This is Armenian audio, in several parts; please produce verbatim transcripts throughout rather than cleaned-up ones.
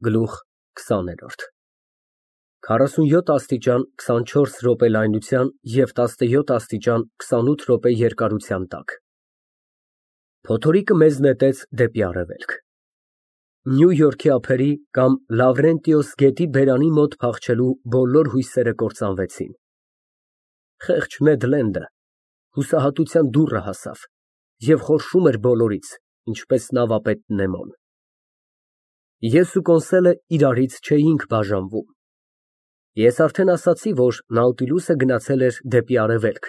Գլուխ քսաներորդ քառասունյոթ աստիճան քսանչորս րոպե լայնության և տասնյոթ աստիճան քսանութ րոպե երկարության տակ փոթորիկը մեզ նետեց դեպի արևելք։ Նյու Յորքի ափերի կամ Լավրենտիոս գետի բերանի մոտ փախչելու բոլոր հույսերը կործանվեցին։ Խեղճ Նեդ Լենդը հուսահատության դուռը հասավ և խորշում էր բոլորից, ինչպես նավապետ Նեմոն։ Ես ու Կոնսելը իրարից չէինք բաժանվում։ Ես արդեն ասացի, որ Նաուտիլուսը գնացել էր դեպի արևելք,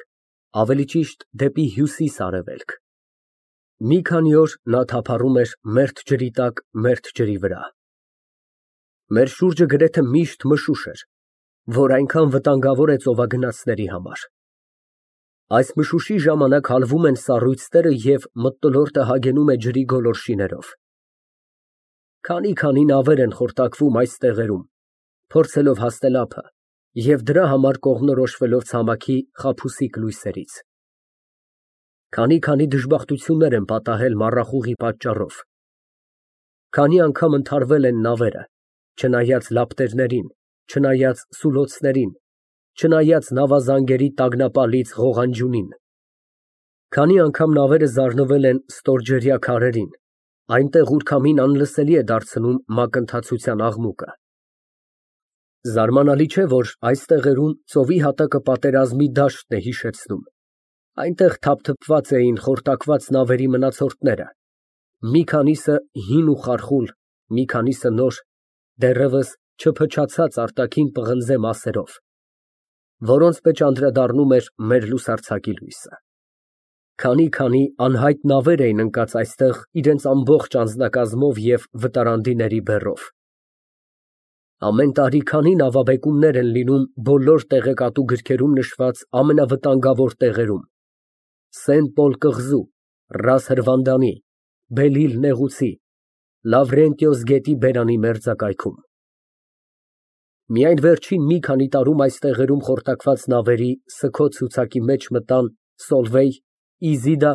ավելի ճիշտ դեպի հյուսիս֊արևելք։ Մի քանի օր նա թափառում էր մերթ ջրի տակ մերթ ջրի վրա։ Մեր շուրջը գրեթե միշտ մշուշ էր, որ այնքան վտանգավոր է ծովագնացների համար։ Այս մշուշի ժամանակ հալվում են սառույցները և մթնոլորտը հագենում է ջրի գոլորշիներով։ Քանի֊քանի նավեր են խորտակվում այս տեղերում, փորձելով հասնել ափը և դրա համար կողմնորոշվելով ցամաքի խաբուսիկ լույսերից։ Քանի֊քանի դժբախտություններ են պատահել մառախուղի պատճառով։ Քանի անգամ ընդհարվել են նավերը, չնայած լապտերներին, չնայած սուլոցներին, չնայած նավազանգերի տագնապալից ղողանջյունին։ Քանի անգամ նավերը զարնվել են ստորջրյա քարերին, այնտեղ, ուր քամին անլսելի է դարձնում մակընթացության աղմուկը։ Զարմանալի չէ, որ այս տեղերում ծովի հատակը պատերազմի դաշտն է հիշեցնում։ Այնտեղ թափթփված էին խորտակված նավերի մնացորդները, մի քանիսը հին ու խարխուլ, մի քանիսը նոր, դեռևս չփչացած արտաքին պղնձե մասերով, որոնց մեջ անդրադառնում էր մեր լուսարձակի լույսը։ Քանի֊քանի անհայտ նավեր էին ընկած այստեղ իրենց ամբողջ անձնակազմով և վտարանդիների բեռով։ Ամեն տարի քանի նավաբեկումներ են լինում բոլոր տեղեկատու գրքերում նշված ամենավտանգավոր տեղերում՝ Սենտ Պոլ կղզու, Ռաս Հրվանդանի, Բելիլ նեղուցի, Լավրենտիոս գետի բերանի մերձակայքում։ Միայն վերջին մի քանի տարում այս տեղերում խորտակված նավերի սգո ցուցակի մեջ մտան Սոլվեյ, Իզիդա,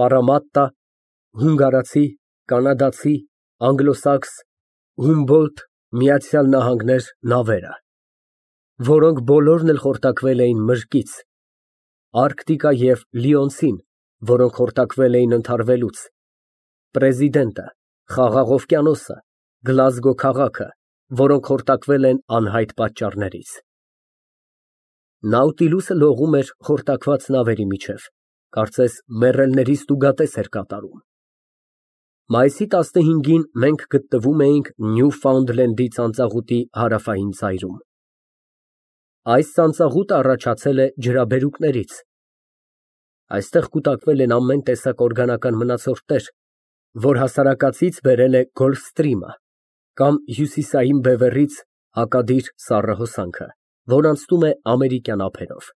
Պարամատտա, հունգարացի, կանադացի, անգլոսաքս, Հումբոլդտ, Միացյալ Նահանգներ նավերը, որոնք բոլորն էլ խորտակվել էին մրկից, Արկտիկա և Լիոնցին, որոնք խորտակվել էին ընդհարվելուց, Պրեզիդենտը, Խաղաղ օվկիանոսը, Գլազգո քաղաքը, որոնք խորտակվել են անհայտ պատճառներից։ Նաուտիլուսը լողում էր խորտակված նավերի միջև, կարծես մեռելներից տուգատես էր կատարում։ Մայիսի տասնհինգին մենք գտնվում էինք Նյուֆաունդլենդի ծանծաղուտի հարավային ծայրում։ Այս ծանծաղուտը առաջացել է ջրաբերուկներից։ Այստեղ կուտակվել են ամեն տեսակ օրգանական մնացորդներ, որ հասարակածից բերել է Գոլֆստրիմը կամ Հյուսիսային բևեռից հակադիր սառը հոսանքը, որ անցնում է ամերիկյան ափերով։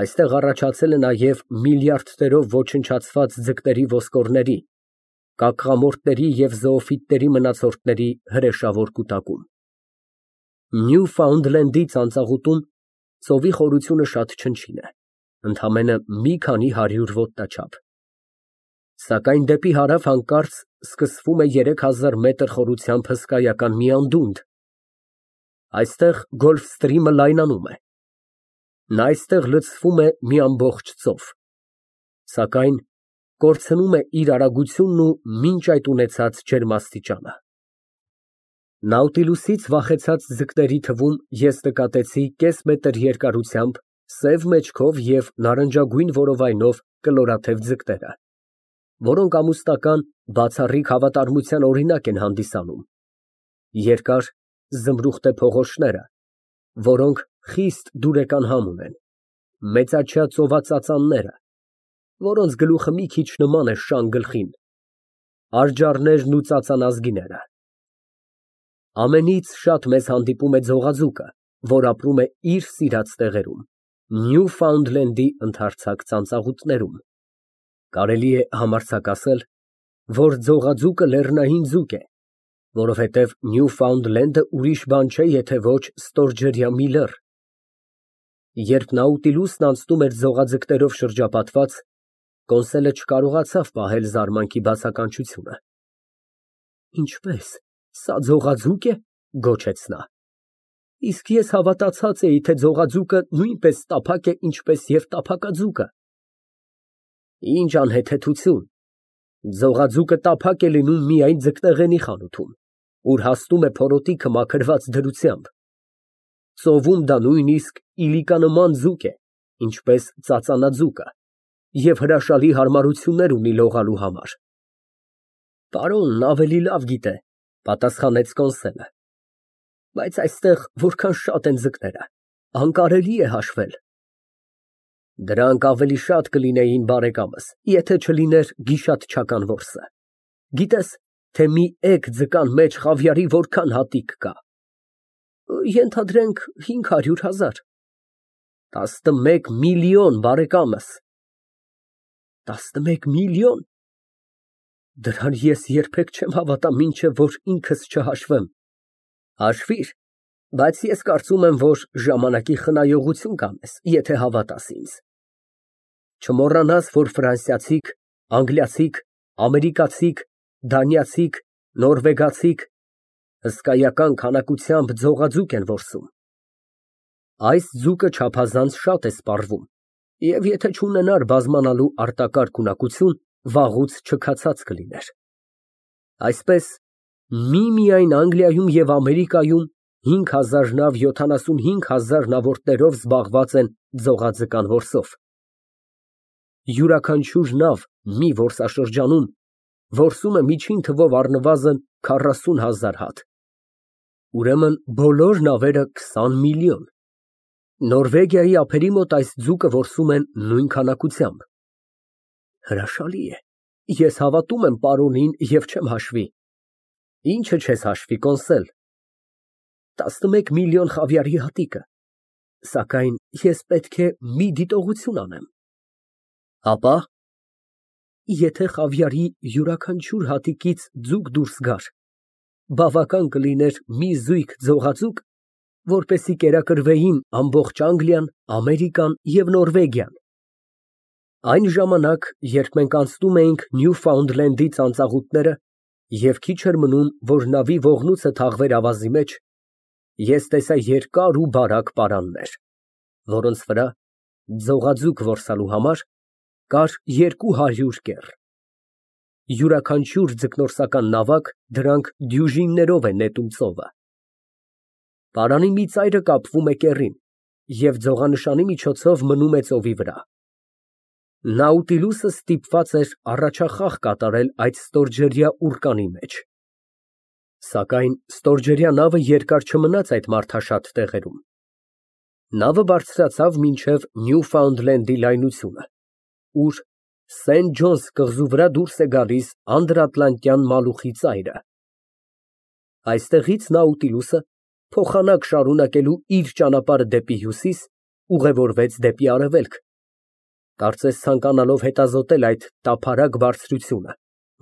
Այստեղ առաջացել է նաև միլիարդներով ոչնչացված ձկների ոսկորների, կակղամորտների և զոոֆիտների մնացորդների հրեշավոր կուտակում։ Նյուֆաունդլենդի ծանծաղուտում ծովի խորությունը շատ չնչին է, ընդամենը մի քանի հարյուր ոտնաչափ, սակայն դեպի հարավ հանկարծ սկսվում է երեք հազար մետր խորությամբ հսկայական մի անդունդ։ Այստեղ Գոլֆստրիմը լայնանում է։ Նա այստեղ լցվում է մի ամբողջ ծով, սակայն կորցնում է իր արագությունն ու մինչ այդ ունեցած ջերմաստիճանը։ Նաուտիլուսից վախեցած ձկների թվում ես նկատեցի կես մետր երկարությամբ, սև մեջքով և նարնջագույն որովայնով կլորաթև ձկները, որոնք ամուսնական, բացառիկ հավատարմության օրինակ են հանդիսանում, երկար, զմրուխտե փողոշները, որոնք խիստ դուրեկան համ ունեն, մեծաչյա ծովածածանները, որոնց գլուխը մի քիչ նման է շան գլխին, արջառներն ու ծածանազգիները։ Ամենից շատ մեզ հանդիպում է ձողաձուկը, որ ապրում է իր սիրած տեղերում, Նյուֆաունդլենդի ընդարձակ ծանծաղուտներում։ Կարելի է համարձակ ասել, որ ձողաձուկը լեռնային ձուկ է, որովհետև Նյուֆաունդլենդը ուրիշ բան չէ, եթե ոչ ստորջրյա մի լեռ։ Երբ Նաուտիլուսն անցնում էր ձողաձկներով շրջապատված, Կոնսելը չկարողացավ պահել զարմանքի բացականչությունը։ Ինչպե՞ս։ Սա ձողաձուկ է, գոչեց նա։ Իսկ ես հավատացած էի, թե ձողաձուկը նույնպես տափակ է, ինչպես և տափակաձուկը։ Ինչ անհեթեթություն, ձողաձուկը տափակ է լինում միայն ձկնեղենի խանութում, ուր հասնում է փորոտիքը մաքրված դրությամբ։ Ծովում դա նույնիսկ իլիկանման ձուկ է, ինչպես ծածանաձուկը, և հրաշալի հարմարություններ ունի լողալու համար։ Պարոնն ավելի լավ գիտե, պատասխանեց Կոնսելը, բայց այստեղ որքան շատ են ձկները, անկարելի է հաշվել։ Դրանք ավելի շատ կլինեին, բարեկամս, եթե չլիներ գիշատչական որսը։ Գիտես, թե մի էգ ձկան մեջ խավիարի որքան հատիկ կա։ Ենթադրենք հինգ հարյուր հազար։ Տասնմեկ միլիոն, բարեկամս։ Տասնմեկ միլիոն։ Դրան ես երբեք չեմ հավատա, մինչև որ ինքս չհաշվեմ։ Հաշվիր, բայց ես կարծում եմ, որ ժամանակի խնայողություն կանես, եթե հավատաս ինձ։ Չմոռանաս, որ ֆրանսիացիք, անգլիացիք, ամերիկացիք, դանիացիք, նորվեգացիք հսկայական քանակությամբ ձողաձուկ են որսում։ Այս ձուկը չափազանց շատ է սպառվում, և եթե չունենար բազմանալու արտակարգ ունակություն, վաղուց չքացած կլիներ։ Այսպես, միմիայն Անգլիայում և Ամերիկայում հինգ հազար նավ յոթանասունհինգ հազար նավորդներով զբաղված են ձողաձկան որսով։ Յուրաքանչյուր նավ մի որսաշրջանում որսում է միջին թվով առնվազն քառասուն հազար հատ։ Ուրեմն բոլոր նավերը քսան միլիոն։ Նորվեգիայի ափերի մոտ այս ձուկը որսում են նույն քանակությամբ։ Հրաշալի է, ես հավատում եմ պարոնին և չեմ հաշվի։ Ինչը չես հաշվի, Կոնսել։ Տասնմեկ միլիոն խավիարի հատիկը, սակայն ես պետք է մի դիտողություն անեմ։ Հապա։ Եթե խավիարի յուրաքանչյուր հատիկից ձուկ դուրս գար, բավական կլիներ մի զույգ ձողաձուկ, որպեսզի կերակրվեին ամբողջ Անգլիան, Ամերիկան և Նորվեգիան։ Այն ժամանակ, երբ մենք անցնում էինք Նյուֆաունդլենդի ծանծաղուտները և քիչ էր մնում, որ նավի ողնույթը թաղվեր ավազի մեջ, ես տեսա երկար ու բարակ պարաններ, որոնց վրա, ձողաձուկ որսալու համար, կար երկու հարյուր կեռ։ Յուրաքանչյուր ձկնորսական նավակ դրանք դյուժիններով է նետում ծովը։ Պարանի մի ծայրը կապվում է կեռին և ձողանշանի միջոցով մնում է ծովի վրա։ Նաուտիլուսը ստիպված էր առաջախաղ կատարել այդ ստորջրյա ուռկանի մեջ։ Սակայն ստորջրյա նավը երկար չմնաց այդ մարդաշատ տեղերում։ Նավը բարձրացավ մինչև Նյուֆաունդլենդի լայնությունը, ուր Սենթ Ջոնս կղզու վրա դուրս է գալիս Անդրատլանտյան մալուխի ծայրը։ Այստեղից Նաուտիլուսը, փոխանակ շարունակելու իր ճանապարհը դեպի հյուսիս, ուղևորվեց դեպի արևելք, կարծես ցանկանալով հետազոտել այդ տափարակ բարձրությունը,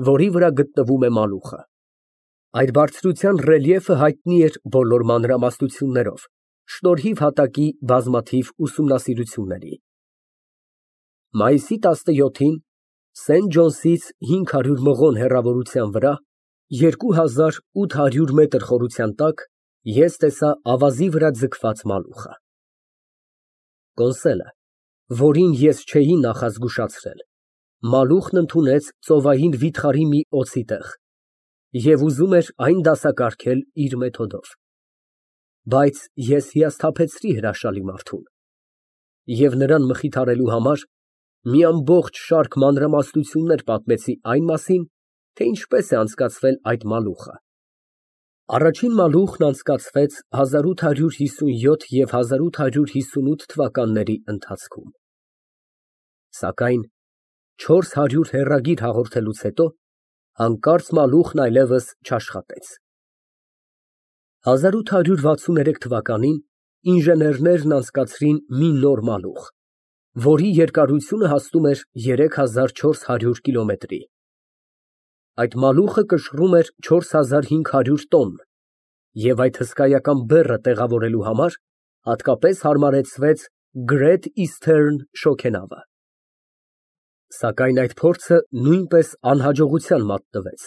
որի վրա գտնվում է մալուխը։ Այդ բարձրության ռելիեֆը հայտնի էր բոլոր մանրամասնություններով, շնորհիվ հատակի բազմաթիվ ուսումնասիրությունների։ Մայիսի տասնյոթին Սենթ Ջոնսից հինգ հարյուր մղոն հեռավորության վրա, երկու հազար ութ հարյուր մետր խորության տակ, ես տեսա ավազի վրա ձգված մալուխը։ Կոնսելը, որին ես չէի նախազգուշացրել, մալուխն ընդունեց ծովային վիթխարի մի օձի տեղ և ուզում էր այն դասակարգել իր մեթոդով։ Բայց ես հիասթափեցրի հրաշալի մարդուն և նրան մխիթարելու համար մի ամբողջ շարք մանրամասնություններ պատմեցի այն մասին, թե ինչպես է անցկացվել այդ մալուխը։ Առաջին մալուխն անցկացվեց հազար ութ հարյուր հիսունյոթ և հազար ութ հարյուր հիսունութ թվականների ընթացքում։ Սակայն չորս հարյուր հեռագիր հաղորդելուց հետո հանկարծ մալուխն այլևս չաշխատեց։ հազար ութ հարյուր վաթսուներեք թվականին ինժեներներն անցկացրին մի նոր մալուխ, որի երկարությունը հասնում էր երեք հազար չորս հարյուր կիլոմետրի։ Այդ մալուխը կշռում էր չորս հազար հինգ հարյուր տոնն և այդ հսկայական բեռը տեղավորելու համար հատկապես հարմարեցվեց Great Eastern շոգենավը։ Սակայն այդ փորձը նույնպես անհաջողության մատնվեց։